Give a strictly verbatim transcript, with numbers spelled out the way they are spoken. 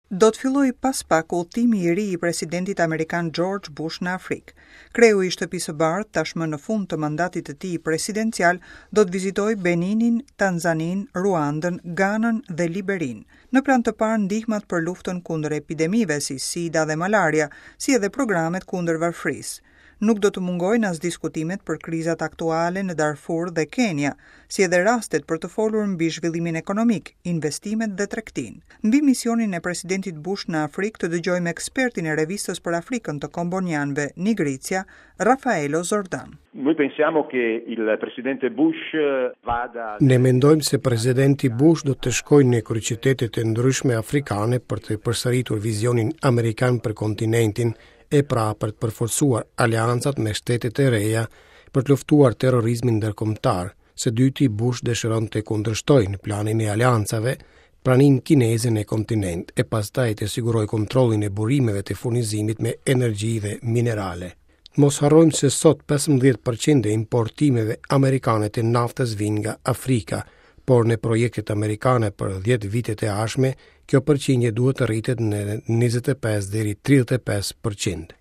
Do të fillojë pas pak udhëtimi i ri i presidentit amerikan George Bush në Afrikë. Kreu i Shtëpisë së Bardhë, tashmë në fund të mandatit të tij presidencial, do të vizitojë Beninin, Tanzaninë, Ruandën, Ganën dhe Liberinë. Në plan të parë ndihmat për luftën kundër epidemive si SIDA dhe malaria, si edhe programet kundër varfërisë. Nuk do të mungojnë as diskutimet për krizat aktuale në Darfur dhe Kenia, si edhe rastet për të folur mbi zhvillimin ekonomik, investimet dhe tregtinë. Mbi misionin e presidentit Bush në Afrikë të dëgjojmë ekspertin e revistës për Afrikën të Kombonianëve, Nigrizia, Raffaello Zordan. Noi pensiamo che il presidente Bush vada Ne mendojmë se presidenti Bush do të shkojë në kryeqytetet e ndryshme afrikane për të përsëritur vizionin amerikan për kontinentin e pra për të përforcuar aleancat me shtetet e reja për të luftuar terrorizmin ndërkombëtar. Së dyti, Bush dëshiron të kundërshtojë në planin e aleancave praninë kineze në kontinent e pastaj të sigurojë kontrollin e burimeve të furnizimit me energji dhe minerale. Mos harrojmë se sot pesëmbëdhjetë përqind e importimeve amerikane të naftës vijnë nga Afrika, por në projektet amerikane për dhjetë vitet e ardhshme, kjo përqindje duhet të rritet në njëzet e pesë deri tridhjetë e pesë përqind.